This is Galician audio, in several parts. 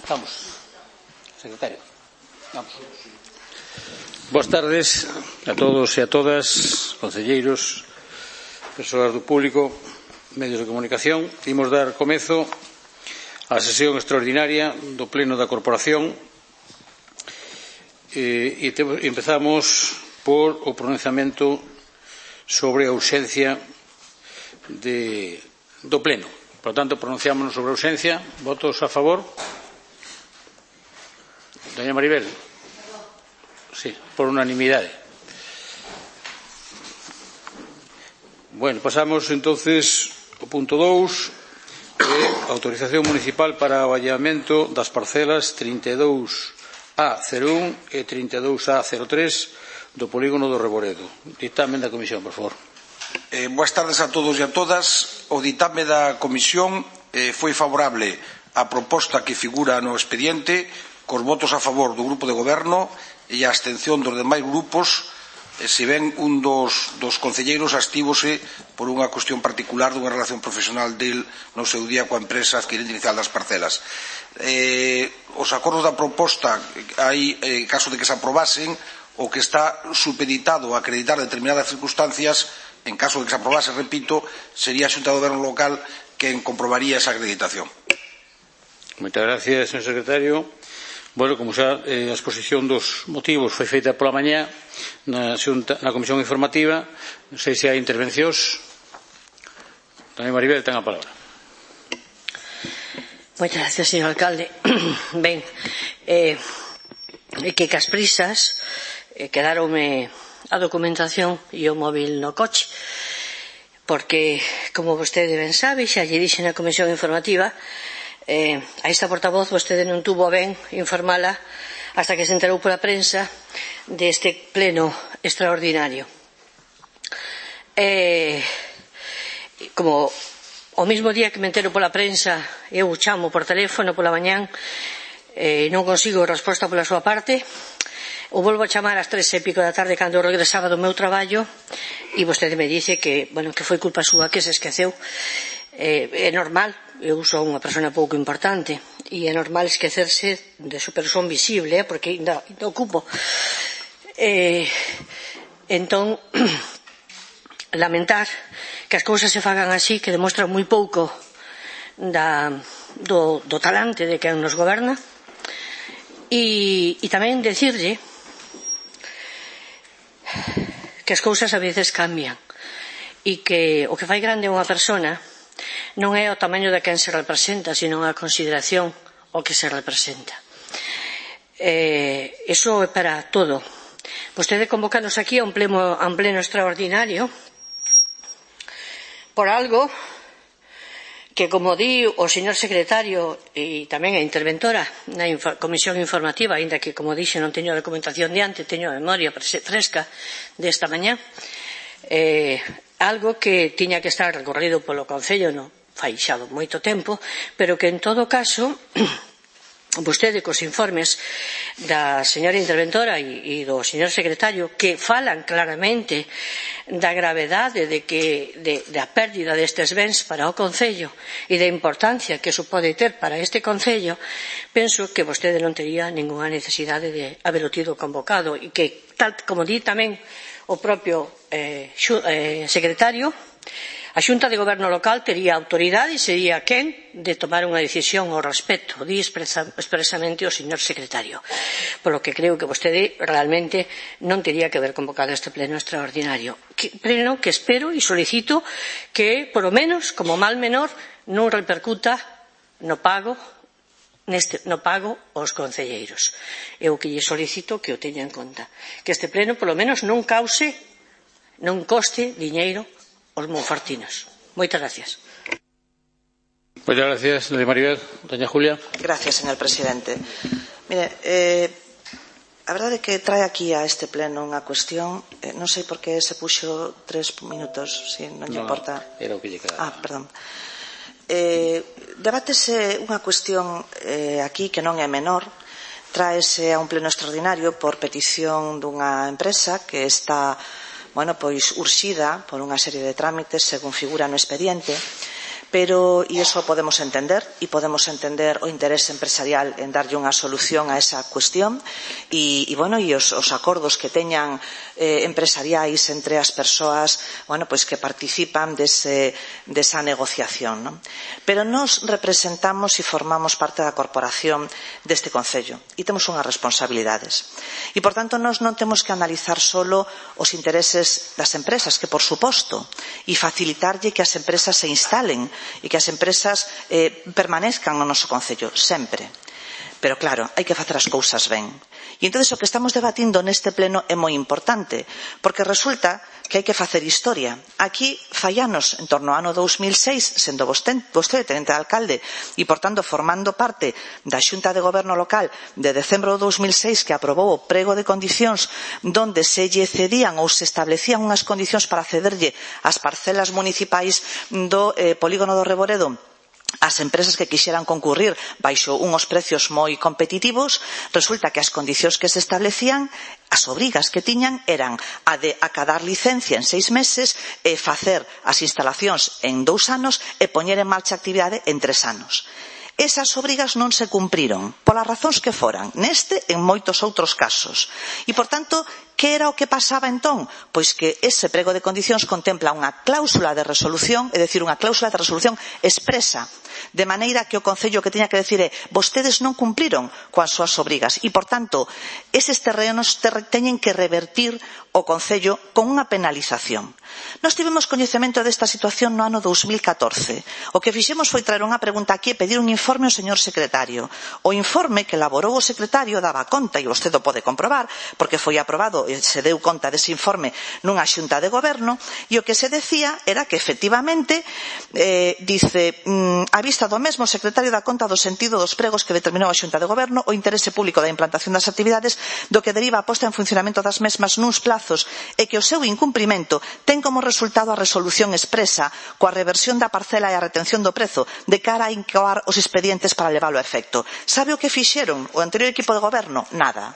Estamos. Secretario. Vamos. Boas tardes a todos e a todas, concelleiros, persoas do público, medios de comunicación. Imos dar comezo á sesión extraordinaria do Pleno da Corporación e empezamos por o pronunciamento sobre a urxencia do Pleno. Por tanto, pronunciámonos sobre a urxencia. Votos a favor? Doña Maribel. Sí, por unanimidade. Bueno, pasamos entonces ao punto 2, autorización municipal para o allanamento das parcelas 32A01 e 32A03 do polígono do Reboredo. Dictamen da Comisión, por favor. Boas tardes a todos e a todas. O ditame da Comisión foi favorable á proposta que figura no expediente, cos votos a favor do Grupo de Goberno e a abstención dos demais grupos, se ben un dos concelleiros abstívose por unha cuestión particular dunha relación profesional del no seu día coa empresa adquirente inicial das parcelas. Os acordos da proposta, hai caso de que se aprobasen, o que está supeditado a acreditar determinadas circunstancias, en caso de que se aprobase, repito, sería a Xunta de Goberno local quen comprobaría esa acreditación. Moitas gracias, señor secretario. Bueno, como xa a exposición dos motivos foi feita pola mañá na Comisión Informativa, non sei se hai intervencións. Doña Maribel, ten a palabra. Moitas gracias, señor alcalde. Ben, que cas prisas quedaronme a documentación e o móvil no coche, porque, como vostede ben sabe, xa lle dixe na Comisión Informativa, a esta portavoz vostede non tuvo a ben informala hasta que se enterou pola prensa deste pleno extraordinario. Como o mesmo día que me entero pola prensa eu chamo por teléfono pola mañán e non consigo resposta pola súa parte, o volvo a chamar ás 3:00 da tarde cando regresaba do meu traballo e vostede me dice que foi culpa súa, que se esqueceu. É normal, eu sou unha persona pouco importante e é normal esquecerse de super son visible, porque ainda ocupo. Entón, lamentar que as cousas se fagan así, que demostran moi pouco do talante de quen nos goberna, e tamén decirlle que as cousas a veces cambian e que o que fai grande a unha persona non é o tamaño de quen se representa, sino a consideración o que se representa. Iso é para todo. Vostede convocanos aquí a un pleno extraordinario por algo que, como di o señor secretario e tamén a interventora na Comisión Informativa, aínda que, como dixe, non teño a documentación diante, teño a memoria fresca desta mañá, algo que tiña que estar recorrido polo Concello fai xa moito tempo, pero que en todo caso vostede cos informes da señora interventora e do señor secretario, que falan claramente da gravedade da pérdida destes bens para o Concello e da importancia que iso pode ter para este Concello, penso que vostede non tería ningunha necesidade de habelo tido convocado e que, tal como di tamén o propio secretario, a Xunta de Goberno local tería autoridade e sería quen de tomar unha decisión ao respecto, di expresamente o señor secretario, polo que creo que vostede realmente non tería que haber convocado este pleno extraordinario, pleno que espero e solicito que, por lo menos, como mal menor, non repercuta no pago aos concelleiros. Eu que lle solicito que o teña en conta, que este pleno, por lo menos, non coste diñeiro aos monfortinos. Moitas gracias. Moitas gracias, doña Maribel. Doña Julia. Gracias, señor presidente. Mire, a verdade é que trae aquí a este pleno unha cuestión, non sei por que se puxo 3 minutos, se non lle importa. Era o que lle quedaba. Perdón. Debátese unha cuestión aquí que non é menor, tráese a un pleno extraordinario por petición dunha empresa que está pois urxida por unha serie de trámites según figura no expediente, pero e iso podemos entender o interese empresarial en darlle unha solución a esa cuestión e os acordos que teñan empresariais entre as persoas que participan desa negociación, non? Pero nós representamos e formamos parte da corporación deste Concello e temos unhas responsabilidades e, por tanto, nós non temos que analizar solo os intereses das empresas, que por suposto, e facilitarlle que as empresas se instalen e que as empresas permanezcan no noso Concello, sempre. Pero claro, hai que facer as cousas ben. E entón o que estamos debatindo neste pleno é moi importante, porque resulta que hai que facer historia. Aquí fai anos, en torno ao ano 2006, sendo vostede tenente de alcalde e, por tanto, formando parte da Xunta de Goberno Local de decembro do 2006, que aprobou o prego de condicións donde se lle cedían ou se establecían unhas condicións para cederlle as parcelas municipais do polígono do Reboredo as empresas que quixeran concurrir baixo unhos precios moi competitivos, resulta que as condicións que se establecían, as obrigas que tiñan eran a de acadar licencia en 6 meses e facer as instalacións en 2 anos e poñer en marcha a actividade en 3 anos. Esas obrigas non se cumpriron, polas razóns que foran, neste e en moitos outros casos. E, por tanto, que era o que pasaba entón? Pois que ese prego de condicións contempla unha cláusula de resolución, é dicir, unha cláusula de resolución expresa, de maneira que o Concello que tiña que decir é vostedes non cumpriron coas súas obrigas e, por tanto, eses terrenos teñen que revertir o Concello con unha penalización. Nós tivemos coñecemento desta situación no ano 2014. O que fixemos foi traer unha pregunta aquí e pedir un informe ao señor secretario. O informe que elaborou o secretario daba conta, e vostede o pode comprobar, porque foi aprobado e se deu conta dese informe nunha xunta de goberno, e o que se decía era que, efectivamente, a vista do mesmo, o secretario dá conta do sentido dos pregos que determinou a xunta de goberno, o interese público da implantación das actividades, do que deriva a posta en funcionamento das mesmas nuns plazos e que o seu incumprimento ten como resultado a resolución expresa coa reversión da parcela e a retención do prezo de cara a incoar os expedientes para leválo a efecto. Sabe o que fixeron o anterior equipo de goberno? Nada.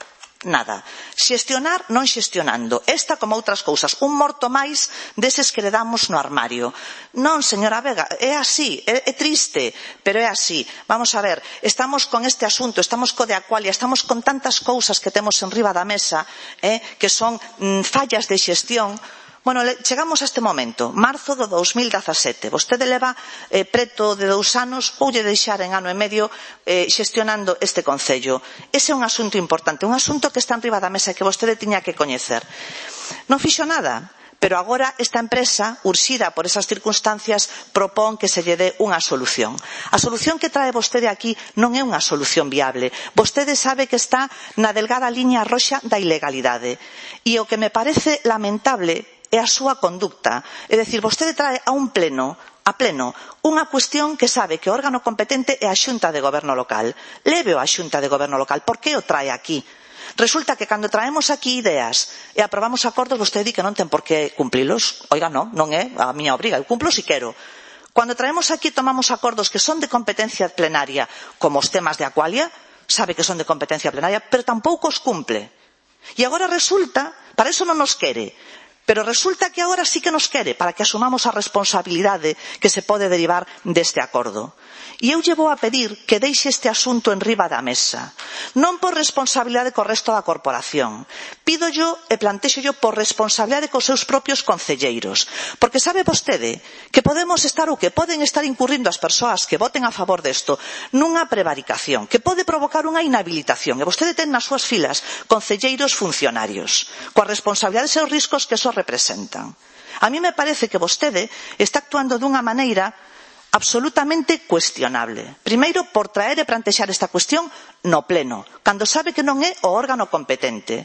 Xestionar non xestionando. Esta como outras cousas, un morto máis deses que le damos no armario. Non, señora Vega, é así, é triste, pero é así. Vamos a ver, estamos con este asunto, estamos co de Aqualia, estamos con tantas cousas que temos enriba da mesa, que son fallas de xestión. Bueno, chegamos a este momento, marzo do 2017. Vostede leva preto de 2 anos, voulle deixar en ano e medio xestionando este Concello. Ese é un asunto importante, un asunto que está enriba da mesa e que vostede tiña que coñecer. Non fixo nada, pero agora esta empresa, urxida por esas circunstancias, propón que se lle dé unha solución. A solución que trae vostede aquí non é unha solución viable. Vostede sabe que está na delgada liña roxa da ilegalidade. E o que me parece lamentable é a súa conducta. É dicir, vostede trae a pleno, unha cuestión que sabe que o órgano competente é a Xunta de Goberno Local. Léveo a Xunta de Goberno Local. Por que o trae aquí? Resulta que cando traemos aquí ideas e aprobamos acordos, vostede di que non ten por que cumprilos. Oiga, non é a miña obriga, eu cumplo si quero. Cando traemos aquí tomamos acordos que son de competencia plenaria, como os temas de Aqualia, sabe que son de competencia plenaria, pero tampouco os cumple. E agora resulta, para iso non nos quere, pero resulta que agora sí que nos quere, para que asumamos a responsabilidade que se pode derivar deste acordo. E eu lle vou a pedir que deixe este asunto enriba da mesa, non por responsabilidade co resto da corporación. Pídollo e plantexollo por responsabilidade cos seus propios concelleiros, porque sabe vostede que podemos estar ou que poden estar incurrindo as persoas que voten a favor desto nunha prevaricación, que pode provocar unha inhabilitación, e vostede ten nas súas filas concelleiros funcionarios, coas responsabilidades e os riscos que eso representan. A mí me parece que vostede está actuando dunha maneira absolutamente cuestionable. Primeiro, por traer e plantexar esta cuestión no pleno, cando sabe que non é o órgano competente.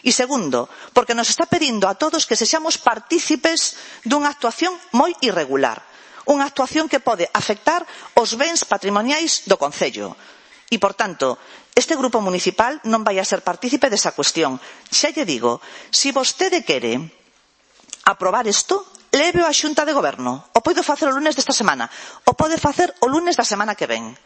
E segundo, porque nos está pedindo a todos que sexamos partícipes dunha actuación moi irregular, unha actuación que pode afectar os bens patrimoniais do Concello. E, por tanto, este grupo municipal non vai a ser partícipe desa cuestión. Xa lle digo, se vostede quere aprobar isto, léveo á Xunta de Goberno. O podo facer o lunes desta semana. O pode facer o lunes da semana que ven.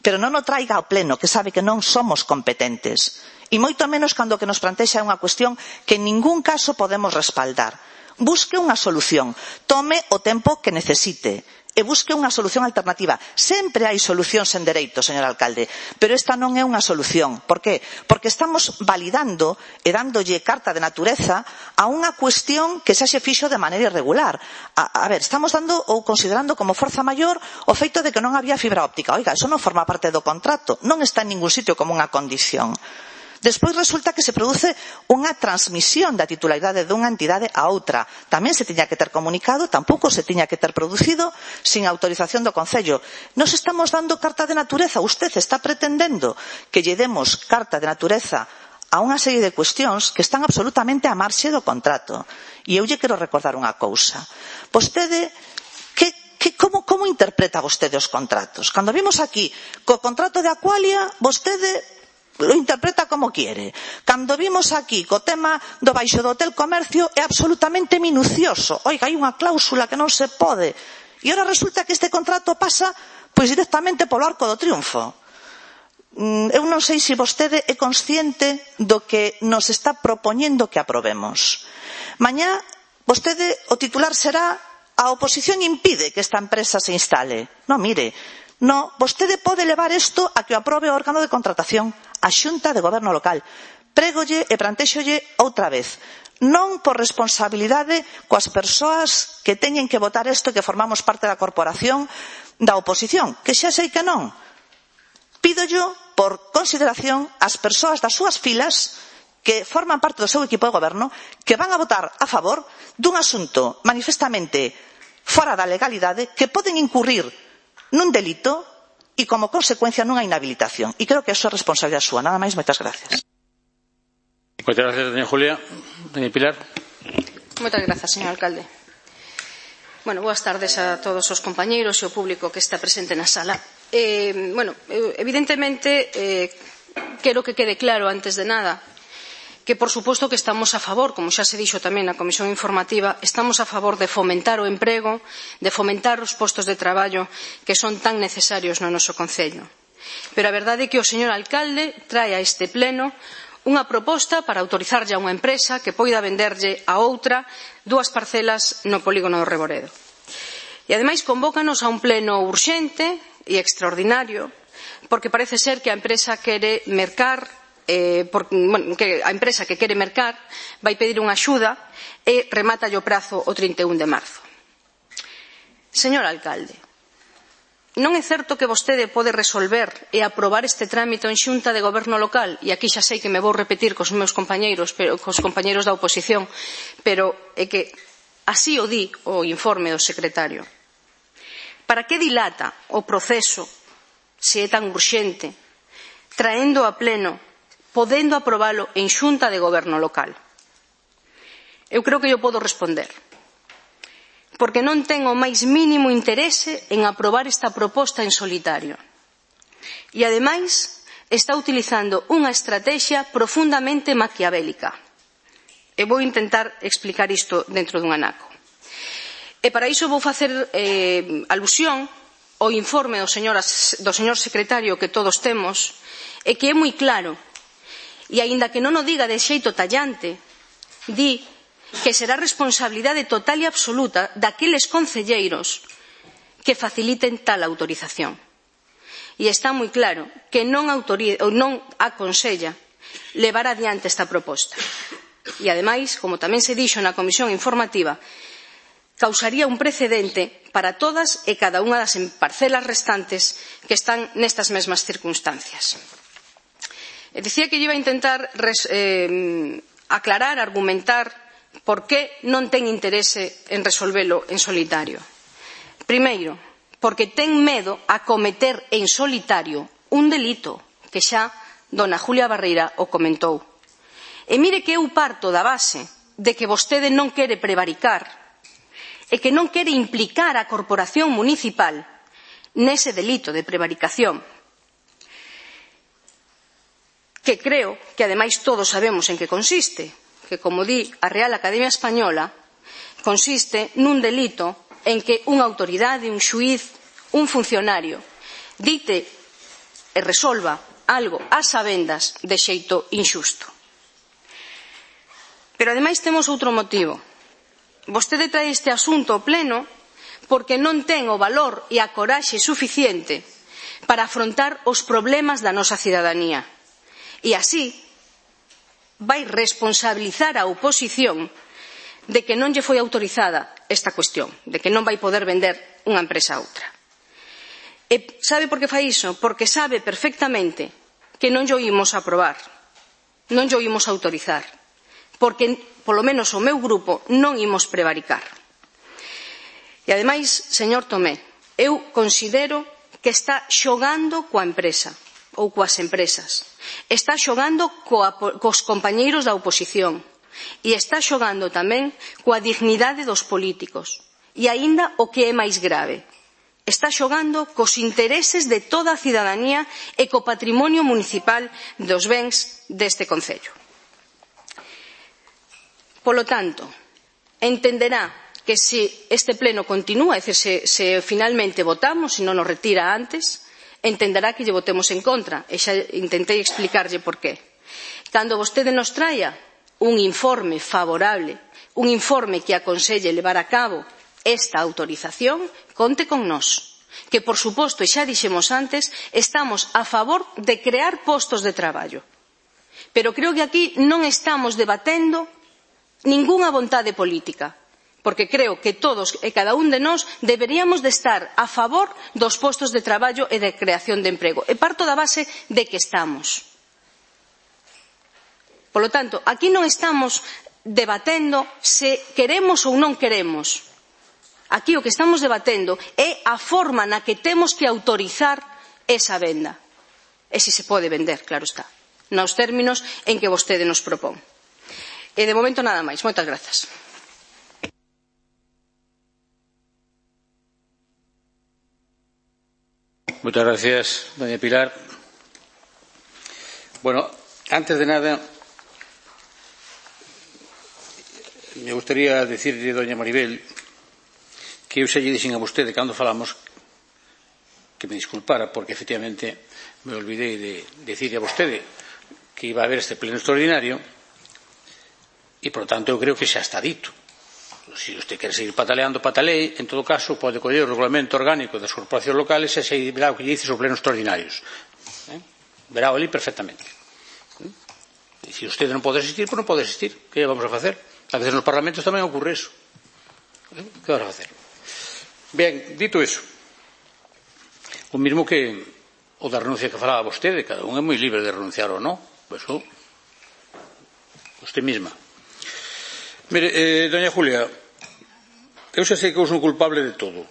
Pero non o traiga ao pleno, que sabe que non somos competentes. E moito menos cando o que nos plantexa é unha cuestión que en ningún caso podemos respaldar. Busque unha solución. Tome o tempo que necesite. e busque unha solución alternativa. Sempre hai solucións en dereito, señor alcalde, pero esta non é unha solución. Por qué? Porque estamos validando e dándolle carta de natureza a unha cuestión que xa se fixo de maneira irregular. A ver, estamos dando ou considerando como forza maior o feito de que non había fibra óptica. Oiga, eso non forma parte do contrato, non está en ningún sitio como unha condición. Despois resulta que se produce unha transmisión da titularidade dunha entidade a outra. Tamén se tiña que ter comunicado, tampouco se tiña que ter producido sin autorización do Concello. Nos estamos dando carta de natureza. Usted está pretendendo que lle demos carta de natureza a unha serie de cuestións que están absolutamente á marxe do contrato. E eu lle quero recordar unha cousa. Vostede, como interpreta vostede os contratos? Cando vimos aquí co contrato de Aqualia, vostede lo interpreta como quiere. Cando vimos aquí co tema do baixo do Hotel Comercio é absolutamente minucioso. Oiga, hai unha cláusula que non se pode. E ora resulta que este contrato pasa pois directamente polo Arco do Triunfo. Eu non sei se vostede é consciente do que nos está propoñendo que aprobemos. Mañá, vostede, o titular será a oposición impide que esta empresa se instale. Non, mire, no, vostede pode levar isto a que o aprobe o órgano de contratación, a Xunta de Goberno Local. Prégolle e plantéxolle outra vez. Non por responsabilidade coas persoas que teñen que votar isto e que formamos parte da corporación da oposición, que xa sei que non. Pídollo por consideración ás persoas das súas filas que forman parte do seu equipo de goberno, que van a votar a favor dun asunto manifestamente fora da legalidade, que poden incurrir nun delito e como consecuencia nunha inhabilitación. E creo que eso é responsabilidade súa. Nada máis, moitas gracias. Moitas gracias, doña Julia. Doña Pilar. Moitas grazas, señor alcalde. Bueno, boas tardes a todos os compañeiros e o público que está presente na sala. Evidentemente, quero que quede claro antes de nada que, por suposto, que estamos a favor, como xa se dixo tamén na Comisión Informativa, estamos a favor de fomentar o emprego, de fomentar os postos de traballo que son tan necesarios no noso concello. Pero a verdade é que o señor alcalde trae a este pleno unha proposta para autorizarlle a unha empresa que poida venderlle a outra 2 parcelas no polígono do Reboredo. E, ademais, convócanos a un pleno urxente e extraordinario, porque parece ser que a empresa quere mercar que a empresa que quere mercar vai pedir unha axuda e remata o prazo o 31 de marzo. Señor alcalde, non é certo que vostede pode resolver e aprobar este trámite en Xunta de Goberno Local, e aquí xa sei que me vou repetir cos meus compañeiros, cos compañeiros da oposición, pero é que así o di o informe do secretario. Para que dilata o proceso, se é tan urxente, traendo a pleno, podendo aprobalo en Xunta de Goberno Local? Eu creo que eu podo responder. Porque non ten o máis mínimo interese en aprobar esta proposta en solitario. E, ademais, está utilizando unha estrategia profundamente maquiavélica. E vou intentar explicar isto dentro dun anaco. E para iso vou facer alusión ao informe do señor secretario que todos temos, e que é moi claro. E, aínda que non o diga de xeito tallante, di que será responsabilidade total e absoluta daqueles concelleiros que faciliten tal autorización. E está moi claro que non aconsella levar adiante esta proposta. E, ademais, como tamén se dixo na Comisión Informativa, causaría un precedente para todas e cada unha das parcelas restantes que están nestas mesmas circunstancias. Dicía que iba a intentar aclarar, argumentar por que non ten interese en resolvelo en solitario. Primeiro, porque ten medo a cometer en solitario un delito, que xa dona Julia Barreira o comentou. E mire que eu parto da base de que vostede non quere prevaricar e que non quere implicar a corporación municipal nese delito de prevaricación, que creo que, ademais, todos sabemos en que consiste, que, como di a Real Academia Española, consiste nun delito en que unha autoridade, un xuíz, un funcionario, dite e resolva algo ás sabendas de xeito inxusto. Pero, ademais, temos outro motivo. Vostede trae este asunto ao pleno porque non ten o valor e a coraxe suficiente para afrontar os problemas da nosa cidadanía. E así vai responsabilizar a oposición de que non lle foi autorizada esta cuestión, de que non vai poder vender unha empresa a outra. E sabe por que fai iso? Porque sabe perfectamente que non lle imos aprobar, non lle imos autorizar, porque, polo menos o meu grupo, non imos prevaricar. E ademais, señor Tomé, eu considero que está xogando coa empresa ou coas empresas, está xogando cos compañeiros da oposición e está xogando tamén coa dignidade dos políticos e aínda o que é máis grave, está xogando cos intereses de toda a cidadanía e co patrimonio municipal dos bens deste concello. Polo tanto, entenderá que se este pleno continúa, é dicir, se finalmente votamos, se non nos retira antes, entenderá que lle votemos en contra, e xa intentei explicarlle por qué. Cando vostede nos traia un informe favorable, un informe que aconselle levar a cabo esta autorización, conte con nós, que por suposto, e xa dixemos antes, estamos a favor de crear postos de traballo. Pero creo que aquí non estamos debatendo ningunha vontade política, porque creo que todos e cada un de nós deberíamos de estar a favor dos postos de traballo e de creación de emprego. E parto da base de que estamos. Polo tanto, aquí non estamos debatendo se queremos ou non queremos. Aquí o que estamos debatendo é a forma na que temos que autorizar esa venda. E se pode vender, claro está, nos términos en que vostede nos propón. E de momento nada máis. Moitas grazas. Muchas gracias, doña Pilar. Bueno, antes de nada, me gustaría decirle, doña Maribel, que eu xa lle dixen a vostede cando falamos que me disculpara, porque efectivamente me olvidei de decirle a vostede que iba a haber este pleno extraordinario e, por tanto, eu creo que xa está dito. Se usted quer seguir pataleando, patalee. En todo caso, pode coller o regulamento orgánico das corporacións locales e xa verá o que lle dice os plenos extraordinarios. Verá ali perfectamente. E se usted non pode asistir, pois non pode asistir. Que vamos a facer? A veces nos parlamentos tamén ocurre eso. Que vamos a facer? Ben, dito eso, o mismo que o da renuncia que falaba vostede, cada un é moi libre de renunciar ou non, eso, usted misma. Mire, doña Julia, eu xa sei que eu son culpable de todo,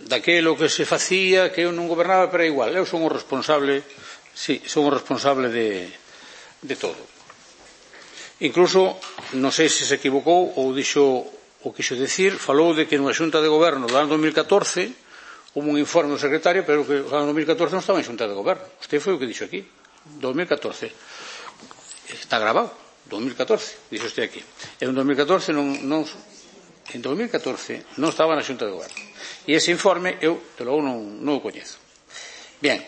daquelo que se facía, que eu non gobernaba, pero é igual, eu son o responsable, sí, son o responsable de todo. Incluso, non sei se se equivocou ou dixo o quixo decir, falou de que nunha xunta de goberno do ano 2014 houve un informe do secretario, pero que o ano 2014 non estaba en xunta de goberno. Usted foi o que dixo aquí, 2014. Está grabado, 2014, dixo usted aquí. En 2014 non estaba na xunta de goberno. E ese informe eu, de logo, non o coñezo. Bien.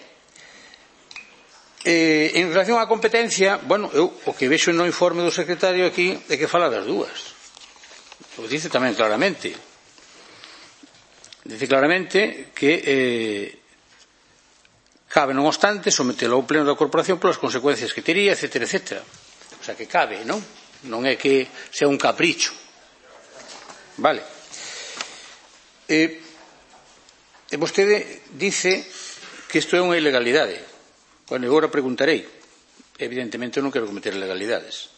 En relación á competencia, bueno, eu o que vexo no informe do secretario aquí é que fala das dúas. O dice tamén claramente. Dice claramente que cabe, non obstante, sometelo ao pleno da corporación polas consecuencias que tería, etcétera, etcétera. O sea, que cabe, non? Non é que sea un capricho. Vale. E vostede dice que isto é unha ilegalidade. Bueno, eu agora preguntarei. Evidentemente eu non quero cometer ilegalidades,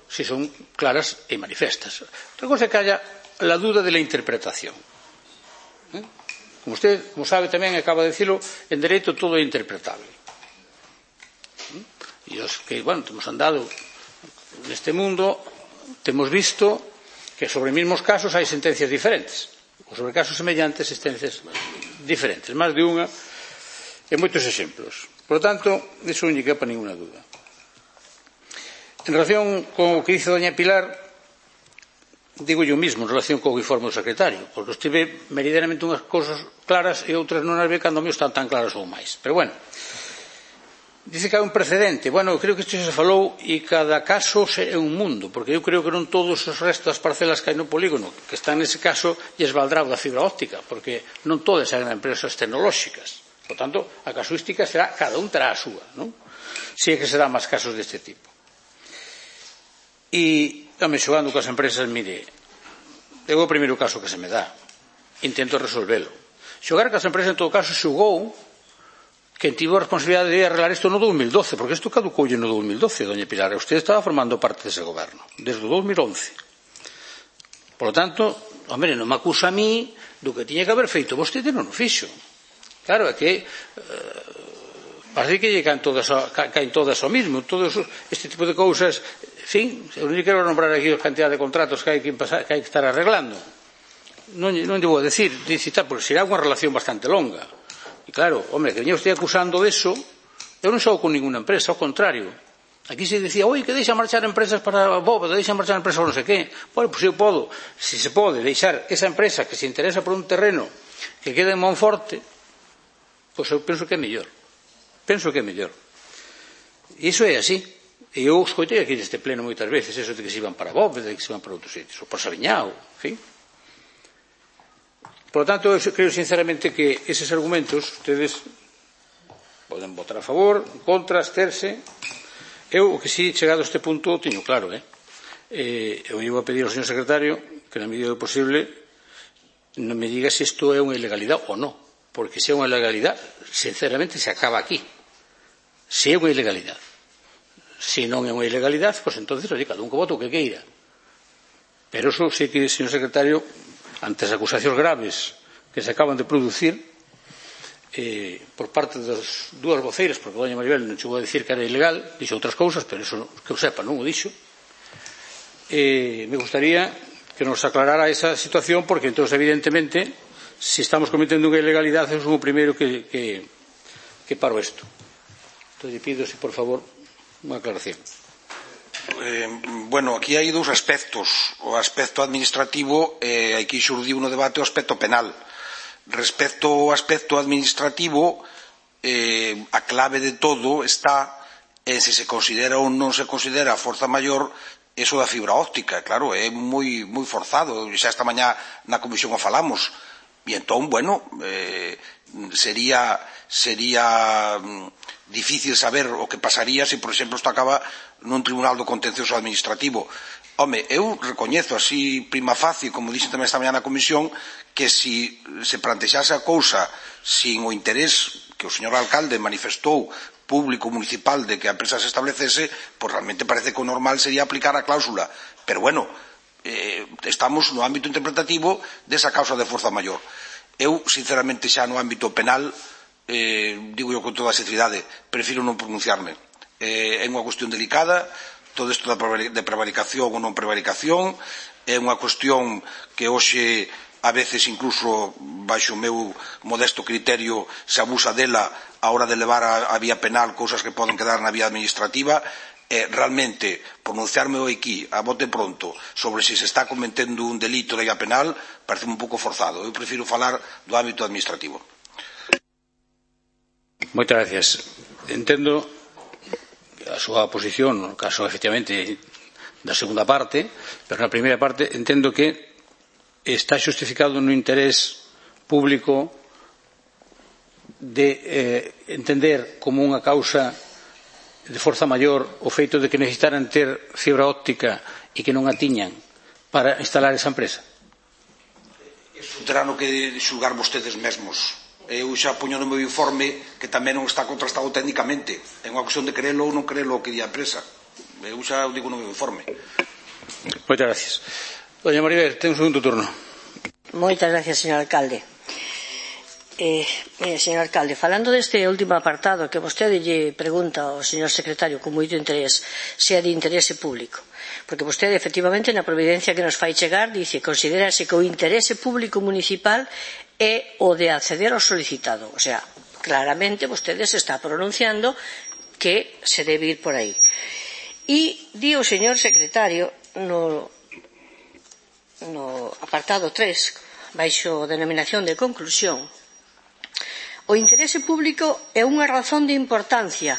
si son claras e manifestas. Outra cosa é que haya la duda de la interpretación. Como usted, como sabe tamén, acaba de decirlo, en dereito todo é interpretable. E os que, bueno, temos andado neste mundo, temos visto que sobre mismos casos hai sentencias diferentes, ou sobre casos semellantes sentencias diferentes, máis de unha, e moitos exemplos. Por lo tanto, iso non lle quepa ninguna duda. En relación con o que dice doña Pilar, digo yo mismo en relación co informe do secretario, porque usted ve meridianamente unhas cousas claras e outras non as ve cando me están tan claras ou máis. Pero bueno, Dice que hai un precedente. Bueno, eu creo que isto se falou e cada caso é un mundo, porque eu creo que non todos os restos das parcelas que hai no polígono, que están nese caso, lles valdrá o da fibra óptica, porque non todas eran empresas tecnolóxicas. Por tanto, a casuística será, cada un terá a súa, non? Si é que será máis casos deste tipo. E, xogando coas empresas, mire, é o primeiro caso que se me dá. Intento resolvelo. Xogar coas empresas, en todo caso, xogou que tivo a responsabilidade de arreglar isto no 2012, porque isto caducoulle no 2012, doña Pilar, e usted estaba formando parte dese goberno, desde o 2011. Por lo tanto, hombre, non me acusa a mí do que tiña que haber feito vostede non o fixo. Claro, é que parece que caen todas ao mismo, todos este tipo de cousas, en fin, eu non quero nombrar aquí a cantidad de contratos que hai que estar arreglando. Non lle vou decir, porque será unha relación bastante longa. E claro, hombre, que veña usted acusando deso, eu non xogo con ninguna empresa, ao contrario. Aquí se dicía, oi, que deixa marchar empresas para Bóveda, deixa marchar empresas para non sei que. Bueno, pois eu podo, se se pode, deixar esa empresa que se interesa por un terreno que quede en Monforte, pois eu penso que é mellor. Penso que é mellor. E iso é así. E eu escoitei aquí neste pleno moitas veces, eso de que se iban para Bóveda, de que se iban para outros sitios, ou para Sabiñao, en fin. Por lo tanto, eu creo sinceramente que eses argumentos ustedes poden votar a favor, en contra, absterse. Eu, o que si, chegado a este punto, teño claro, eu iba a pedir ao señor secretario que, na medida do posible, non me diga se isto é unha ilegalidade ou non, porque se é unha ilegalidade, sinceramente, se acaba aquí. Se é unha ilegalidade. Se non é unha ilegalidade, pois entonces, cada un que vote o que queira. Pero eso sei que, señor secretario, ante as acusacións graves que se acaban de producir por parte das dúas voceiras, porque doña Maribel non chegou a dicir que era ilegal, dixo outras cousas, pero eso que eu sepa non o dixo, me gustaría que nos aclarara esa situación, porque entón evidentemente se estamos cometendo unha ilegalidade eu son o primeiro que paro isto. Entón lle pido, por favor, unha aclaración. Bueno, aquí hai dous aspectos. O aspecto administrativo, aquí xurdiu no debate o aspecto penal. Respecto ao aspecto administrativo, a clave de todo está en se se considera ou non se considera forza maior eso da fibra óptica. Claro, é moi forzado. Xa esta mañá na comisión o falamos. E entón, bueno, sería difícil saber o que pasaría se, por exemplo, isto acaba nun tribunal do contencioso administrativo. Home, eu recoñezo así prima facie, como dixen tamén esta mañá na comisión, que se plantexase a cousa sin o interés que o señor alcalde manifestou público municipal de que a empresa se establecese, pois realmente parece que o normal sería aplicar a cláusula. Pero bueno, estamos no ámbito interpretativo desa causa de forza maior. Eu, sinceramente, xa no ámbito penal, digo eu con toda a sinceridade, prefiro non pronunciarme. É unha cuestión delicada, todo isto de prevaricación ou non prevaricación, é unha cuestión que hoxe a veces incluso baixo o meu modesto criterio se abusa dela a hora de levar a vía penal cousas que poden quedar na vía administrativa. Realmente pronunciarme aquí a bote pronto sobre se está cometendo un delito de vía penal parece un pouco forzado. Eu prefiro falar do ámbito administrativo. Moitas gracias. Entendo a súa posición no caso efectivamente da segunda parte, pero na primeira parte entendo que está xustificado no interés público de entender como unha causa de forza maior o feito de que necesitaran ter fibra óptica e que non a tiñan para instalar esa empresa. Iso terán que xulgar vostedes mesmos. Eu xa poño no meu informe que tamén non está contrastado técnicamente. É unha cuestión de creelo ou non creelo o que di a empresa. Eu xa o digo no meu informe. Moitas gracias. Doña Maribel, ten un segundo turno. Moitas gracias, señor alcalde. Señor alcalde, falando deste último apartado que vostede lle pregunta ao señor secretario con moito interés se é de interese público, porque vostede efectivamente na providencia que nos fai chegar dice considérase que o interese público municipal é o de acceder ao solicitado, o sea, claramente vostede se está pronunciando que se debe ir por aí. E di o señor secretario no apartado 3 baixo denominación de conclusión: o interese público é unha razón de importancia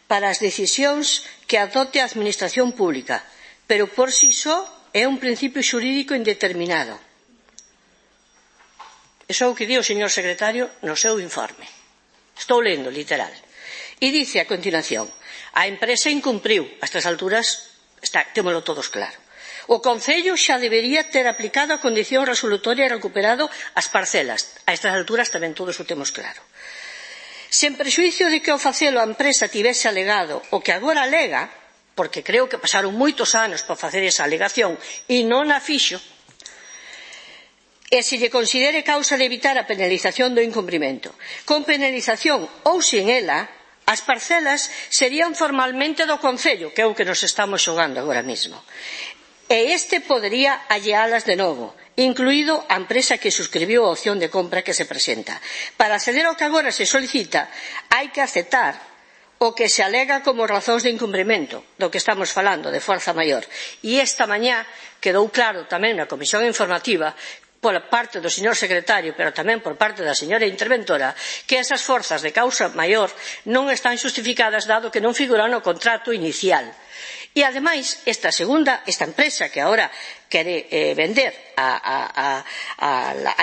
para as decisións que adopte a Administración Pública, pero por si só é un principio xurídico indeterminado. Iso é o que di o señor secretario no seu informe. Estou lendo, literal. E dice a continuación: a empresa incumpriu. A estas alturas témolo todos claro. O Concello xa debería ter aplicado a condición resolutoria e recuperado as parcelas. A estas alturas tamén todos o temos claro. Sen prexuízo de que ao facelo a empresa tivese alegado o que agora alega, porque creo que pasaron moitos anos para facer esa alegación e non a fixo, e se lle considere causa de evitar a penalización do incumprimento. Con penalización ou sin ela, as parcelas serían formalmente do Concello, que é o que nos estamos xogando agora mesmo. E este podería allealas de novo, incluído a empresa que suscribiu a opción de compra que se presenta. Para acceder ao que agora se solicita, hai que aceptar o que se alega como razóns de incumprimento, do que estamos falando, de forza maior. E esta mañá quedou claro tamén na comisión informativa, por parte do señor secretario, pero tamén por parte da señora interventora, que esas forzas de causa maior non están xustificadas dado que non figuran no contrato inicial. E, ademais, esta empresa que agora quere vender a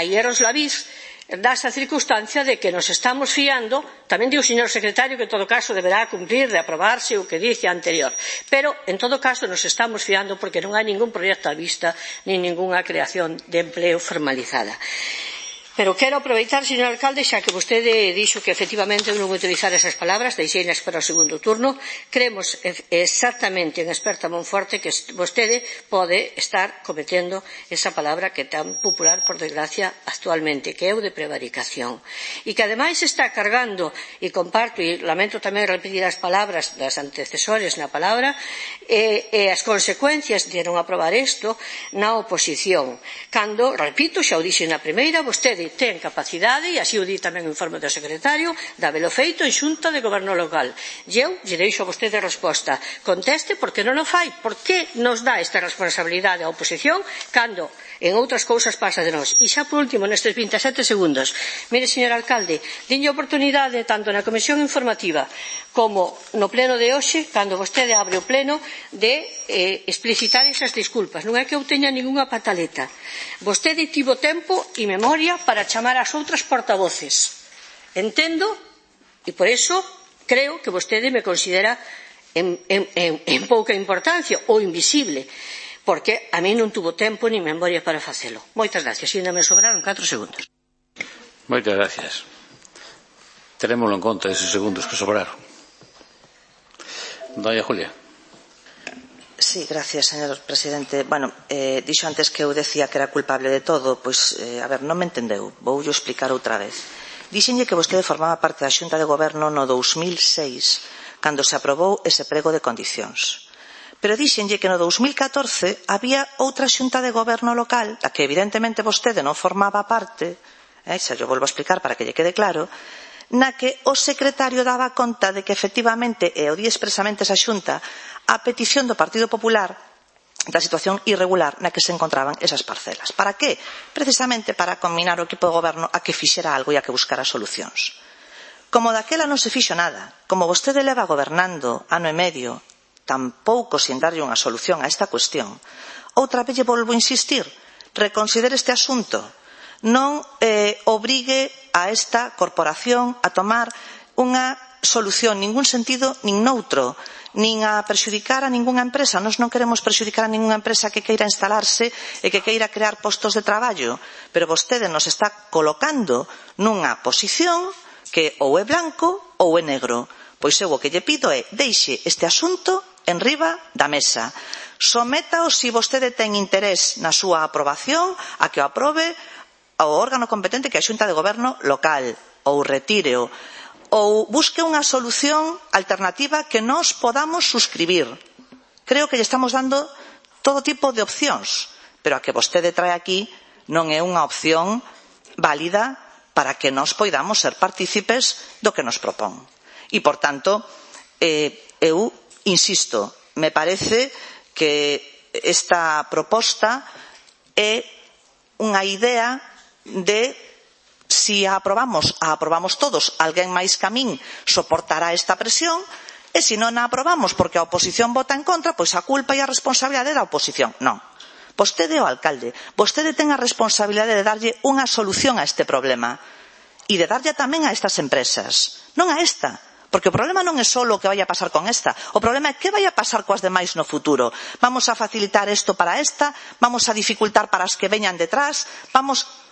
Hierros Laviz, dá esa circunstancia de que nos estamos fiando, tamén di o señor secretario que en todo caso deberá cumprir de aprobarse o que dice anterior, pero en todo caso nos estamos fiando porque non hai ningún proxecto á vista nin ningunha creación de empleo formalizada. Pero quero aproveitar, señor alcalde, xa que vostede dixo que efectivamente non utilizar esas palabras, deixeinas para o segundo turno. Creemos exactamente en experta Monforte que vostede pode estar cometendo esa palabra que é tan popular, por desgracia, actualmente, que é o de prevaricación. E que ademais está cargando, e comparto, e lamento tamén repetir as palabras das antecesores na palabra, e as consecuencias de non aprobar isto na oposición. Cando, repito, xa o dixen na primeira, vostede ten capacidade, e así o di tamén o informe do secretario, de habelo feito en xunta de goberno local. E eu lle deixo a vostede a resposta. Conteste por que non o fai. Por que nos dá esta responsabilidade a oposición cando en outras cousas pasa de nós? E xa por último, nestes 27 segundos, mire, señor alcalde, dinlle a oportunidade tanto na comisión informativa como no pleno de hoxe, cando vostede abre o pleno, de explicitar esas disculpas. Non é que eu teña ningunha pataleta. Vostede tivo tempo e memoria para chamar as outras portavoces. Entendo, e por eso creo que vostede me considera en pouca importancia ou invisible, porque a mí non tuvo tempo ni memoria para facelo. Moitas gracias. E ainda me sobraron 4 segundos. Moitas gracias. Terémoslo en conta esos segundos que sobraron. Doña Julia. Sí, gracias, señor presidente. Bueno, dixo antes que eu decía que era culpable de todo, pois, a ver, non me entendeu. Vou explicar outra vez. Dixenlle que vostede formaba parte da Xunta de Goberno no 2006, cando se aprobou ese prego de condicións. Pero dixenlle que no 2014 había outra Xunta de Goberno local, da que evidentemente vostede non formaba parte, xa yo volvo a explicar para que lle quede claro, na que o secretario daba conta de que efectivamente, e o di expresamente esa Xunta, a petición do Partido Popular da situación irregular na que se encontraban esas parcelas. Para que? Precisamente para combinar o equipo de goberno a que fixera algo e a que buscara solucións. Como daquela non se fixo nada, como vostede leva gobernando ano e medio, tampouco sin darlle unha solución a esta cuestión, outra vez lle volvo a insistir, reconsidere este asunto, non obrigue a esta corporación a tomar unha solución, ningún sentido nin noutro, nin a prexudicar a ningunha empresa. Nós non queremos prexudicar a ningunha empresa que queira instalarse e que queira crear postos de traballo, pero vostede nos está colocando nunha posición que ou é blanco ou é negro. Pois eu o que lle pido é deixe este asunto en riba da mesa. Sométao se vostede ten interés na súa aprobación a que o aprobe ao órgano competente que é a Xunta de Goberno local, ou retíreo, ou busque unha solución alternativa que nós podamos suscribir. Creo que lle estamos dando todo tipo de opcións, pero a que vostede trae aquí non é unha opción válida para que nós poidamos ser partícipes do que nos propón. E, por tanto, eu insisto, me parece que esta proposta é unha idea de si a aprobamos todos, alguén máis que a min soportará esta presión, E se non a aprobamos porque a oposición vota en contra, pois a culpa e a responsabilidade é da oposición. Non. Vostede é o alcalde. Vostede ten a responsabilidade de darlle unha solución a este problema e de darlle tamén a estas empresas, non a esta. Porque o problema non é só o que vai a pasar con esta, o problema é que vai a pasar coas demais no futuro. Vamos a facilitar isto para esta, vamos a dificultar para as que veñan detrás,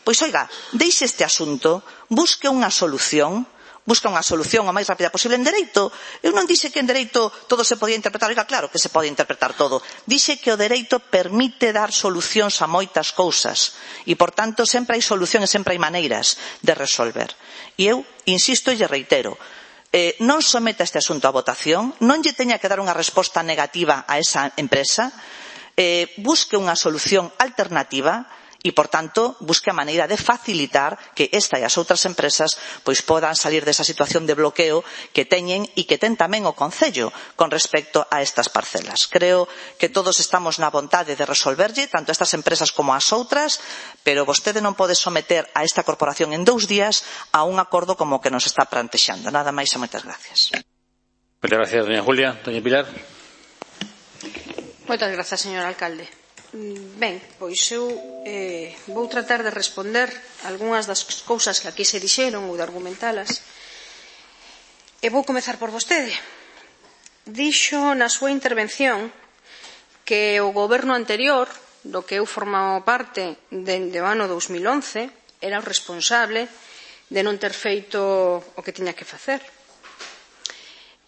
pois oiga, deixe este asunto, busque unha solución o máis rápida posible en dereito. Eu non dixe que en dereito todo se podía interpretar, oiga, claro que se pode interpretar todo. Dixe que o dereito permite dar solucións a moitas cousas e, por tanto, sempre hai solucións e sempre hai maneiras de resolver. E eu insisto e lle reitero, non someta este asunto a votación, non lle teña que dar unha resposta negativa a esa empresa, busque unha solución alternativa e, por tanto, busque a maneira de facilitar que esta e as outras empresas pois podan salir desa situación de bloqueo que teñen e que ten tamén o Concello con respecto a estas parcelas. Creo que todos estamos na vontade de resolverlle, tanto estas empresas como as outras, pero vostede non pode someter a esta corporación en 2 días a un acordo como o que nos está plantexando. Nada máis e moitas gracias. Moitas gracias, doña Julia. Doña Pilar. Moitas grazas, señor alcalde. Ben, pois eu vou tratar de responder algunhas das cousas que aquí se dixeron ou de argumentalas. E vou comezar por vostede. Dixo na súa intervención que o goberno anterior, do que eu formaba parte dende o ano 2011, era o responsable de non ter feito o que tiña que facer.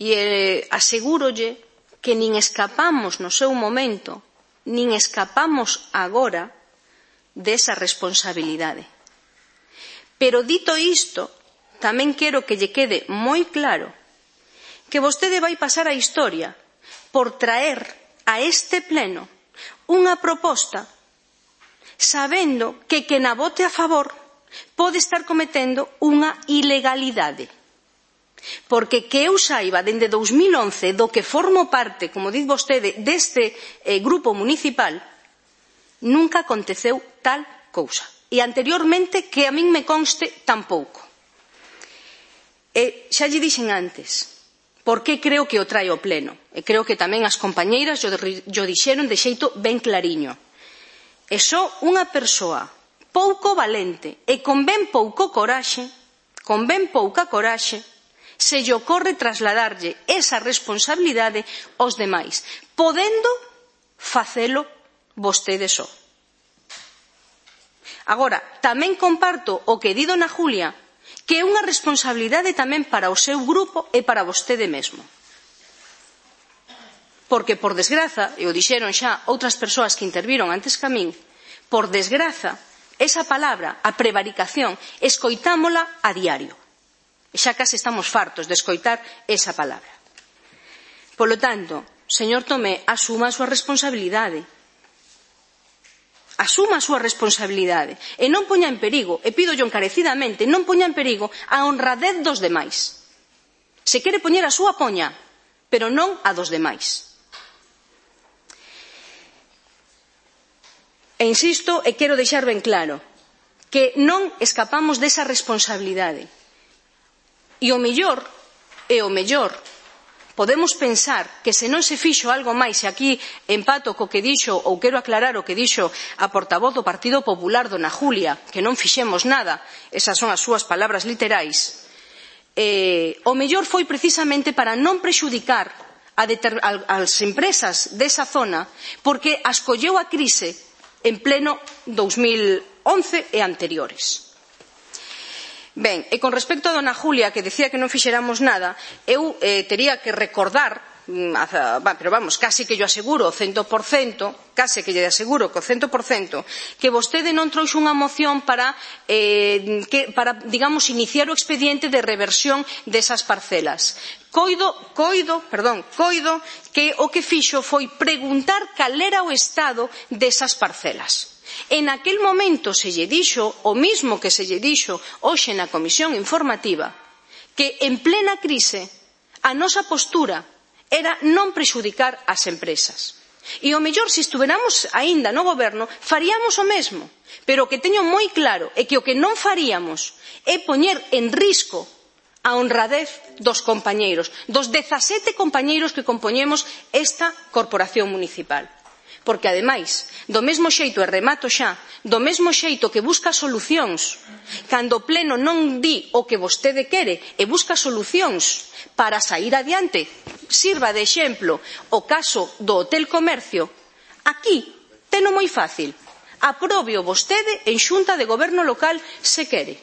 E asegúrolle que nin escapamos no seu momento, nin escapamos agora desa responsabilidade. Pero dito isto, tamén quero que lle quede moi claro que vostede vai pasar a historia por traer a este pleno unha proposta sabendo que quen a vote a favor pode estar cometendo unha ilegalidade. Porque que eu saiba, dende 2011, do que formo parte, como diz vostede, deste grupo municipal, nunca aconteceu tal cousa. E anteriormente, que a min me conste, tampouco. E xa lle dixen antes, por que creo que o trae ao pleno. E creo que tamén as compañeiras yo dixeron de xeito ben clariño. E só unha persoa pouco valente e con ben pouca coraxe, se lle ocorre trasladarlle esa responsabilidade aos demais, podendo facelo vostede só. Agora, tamén comparto o que di dona Julia, que é unha responsabilidade tamén para o seu grupo e para vostede mesmo. Porque, por desgraza, e o dixeron xa outras persoas que interviron antes que a min, por desgraza, esa palabra, a prevaricación, escoitámola a diario. E xa case estamos fartos de escoitar esa palabra. Polo tanto, señor Tomé, asuma a súa responsabilidade. Asuma a súa responsabilidade. E non poña en perigo, e pídollo encarecidamente, non poña en perigo a honradez dos demais. Se quere poñer a súa, poña, pero non a dos demais. E insisto, e quero deixar ben claro, que non escapamos desa responsabilidade. E o mellor, podemos pensar que se non se fixo algo máis, e aquí empato co que dixo, ou quero aclarar o que dixo a portavoz do Partido Popular, dona Julia, que non fixemos nada, esas son as súas palabras literais, o mellor foi precisamente para non prexudicar as empresas desa zona, porque as colleu a crise en pleno 2011 e anteriores. Ben, e con respecto a dona Julia, que decía que non fixéramos nada, eu tería que recordar, pero vamos, case que yo aseguro o 100%, case que lle aseguro que o 100%, que vostede non trouxe unha moción para, digamos, iniciar o expediente de reversión desas parcelas. Coido que o que fixo foi preguntar cal era o estado desas parcelas. En aquel momento se lle dixo o mismo que se lle dixo hoxe na comisión informativa, que en plena crise a nosa postura era non prexudicar as empresas. E o mellor, se estuveramos aínda no goberno, faríamos o mesmo. Pero o que teño moi claro é que o que non faríamos é poñer en risco a honradez dos compañeiros, dos 17 compañeiros que compoñemos esta corporación municipal. Porque, ademais, do mesmo xeito, e remato xa, do mesmo xeito que busca solucións, cando o Pleno non di o que vostede quere e busca solucións para sair adiante, sirva de exemplo o caso do Hotel Comercio, aquí teno moi fácil, aprobeo vostede en Xunta de Goberno local se quere.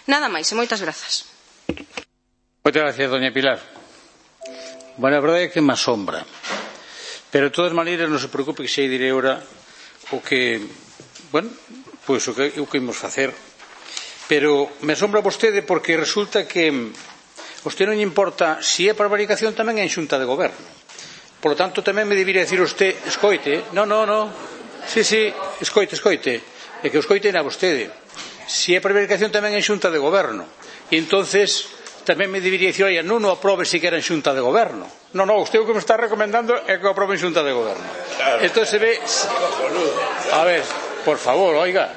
Nada máis e moitas grazas. Moitas gracias, doña Pilar. Bueno, a verdade é que me asombra. Pero, de todas maneiras, non se preocupe que xa direi ahora o que, bueno, pois o que imos facer. Pero me asombra vostede porque resulta que vostede non lle importa se é prevaricación tamén en Xunta de Goberno. Por lo tanto, tamén me debería decir usted, escoite, no, sí, escoite, é que o escoite a vostede. Se é prevaricación tamén en Xunta de Goberno. E entonces tamén me debería dicir, oye, non o aprobe siquiera en Xunta de Goberno. No, usted o que me está recomendando é que o aprobe en Xunta de Goberno. Isto se ve... A ver, por favor, oiga,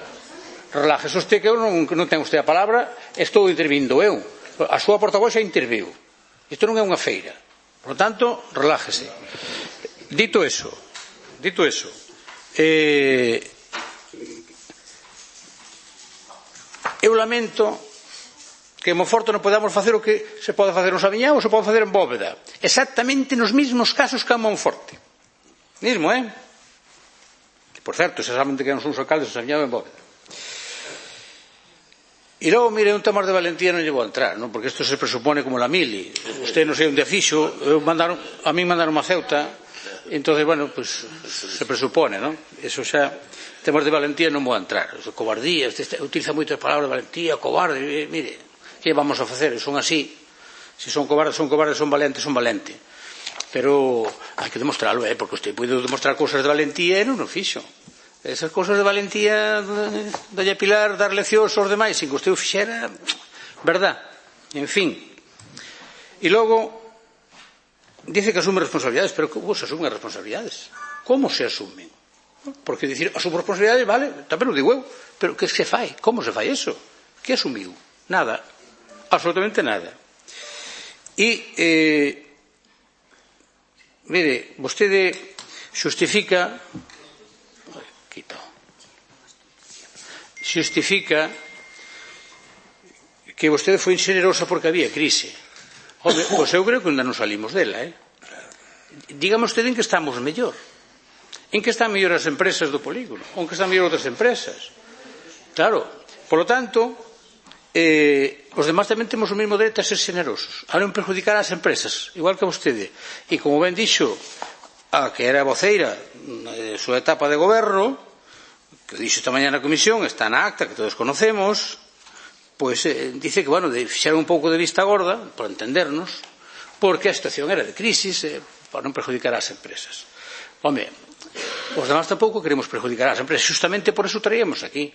relájese usted que eu non ten usted a palabra, estou intervindo eu. A súa portavoz xa interviu. Isto non é unha feira. Por lo tanto, relájese. Dito eso, eu lamento que en Monforte non podamos facer o que se pode facer en Saviñán ou se pode facer en Bóveda. Exactamente nos mesmos casos que en Monforte. Mismo, Por certo, exactamente que non son os alcaldes de Saviñán ou en Bóveda. E logo, mire, un tema de valentía non lle vou entrar, non? Porque isto se presupone como la mili. Usted non sei onde fixo, a mí mandaron a Ceuta, entón, bueno, pues se presupone, non? Eso xa, temas de valentía non vou entrar. Cobardía, utiliza moitas palabras de valentía, cobarde, mire, que vamos a facer? Son así. Se son cobardes, son valentes, son valentes. Pero hai que demostrarlo, porque usted pode demostrar cousas de valentía e non o fixo. Esas cousas de valentía, doña Pilar, dar leccións aos demais, sin que usted o fixera, verdad? En fin. E logo, dice que asume responsabilidades, pero como se asumen as responsabilidades? Como se asumen? Porque dicir, asumo responsabilidades, vale, tamén o digo eu, pero que se fai? Como se fai eso? Que asumiu? Nada. Absolutamente nada. E, mire, vostede xustifica que vostede foi inxenerosa porque había crise. Home, pois eu creo que ainda non salimos dela, Dígame vostede en que estamos mellor. En que están mellor as empresas do polígono? Ou en que están mellor outras empresas? Claro, por lo tanto, os demás tamén temos o mesmo dereito a ser xenerosos, a non perjudicar as empresas, igual que vostede. E como ben dixo a que era voceira na súa etapa de goberno, que dixo esta mañá na comisión, está na acta, que todos conocemos, pois dice que, bueno, fixeron un pouco de vista gorda, para entendernos, porque a situación era de crisis, para non perjudicar as empresas. Home, os demás tampouco queremos perjudicar as empresas, justamente por eso traíamos aquí.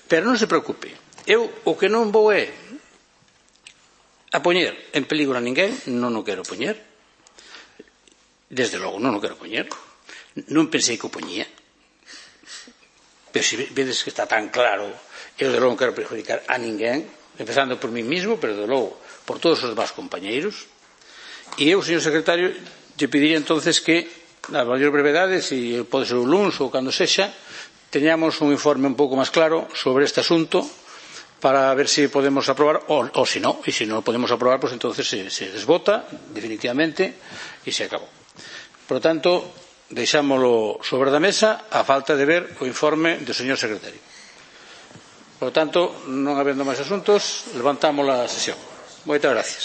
Pero non se preocupe, eu o que non vou é a poñer en peligro a ninguén, non o quero poñer, desde logo non o quero poñer, non pensei que o poñía, pero se vedes que está tan claro, eu de logo non quero perjudicar a ninguén, empezando por mí mismo, pero de logo por todos os demás compañeiros. E eu, señor secretario, lle pediría entonces que na maior brevedade, se pode ser o luns ou cando sexa, teñamos un informe un pouco máis claro sobre este asunto para ver se podemos aprobar ou se non, e se non podemos aprobar, pues entonces se desbota definitivamente e se acabou. Por lo tanto, deixámolo sobre da mesa a falta de ver o informe do señor secretario. Por lo tanto, non habendo máis asuntos, levantamos a sesión. Moitas gracias.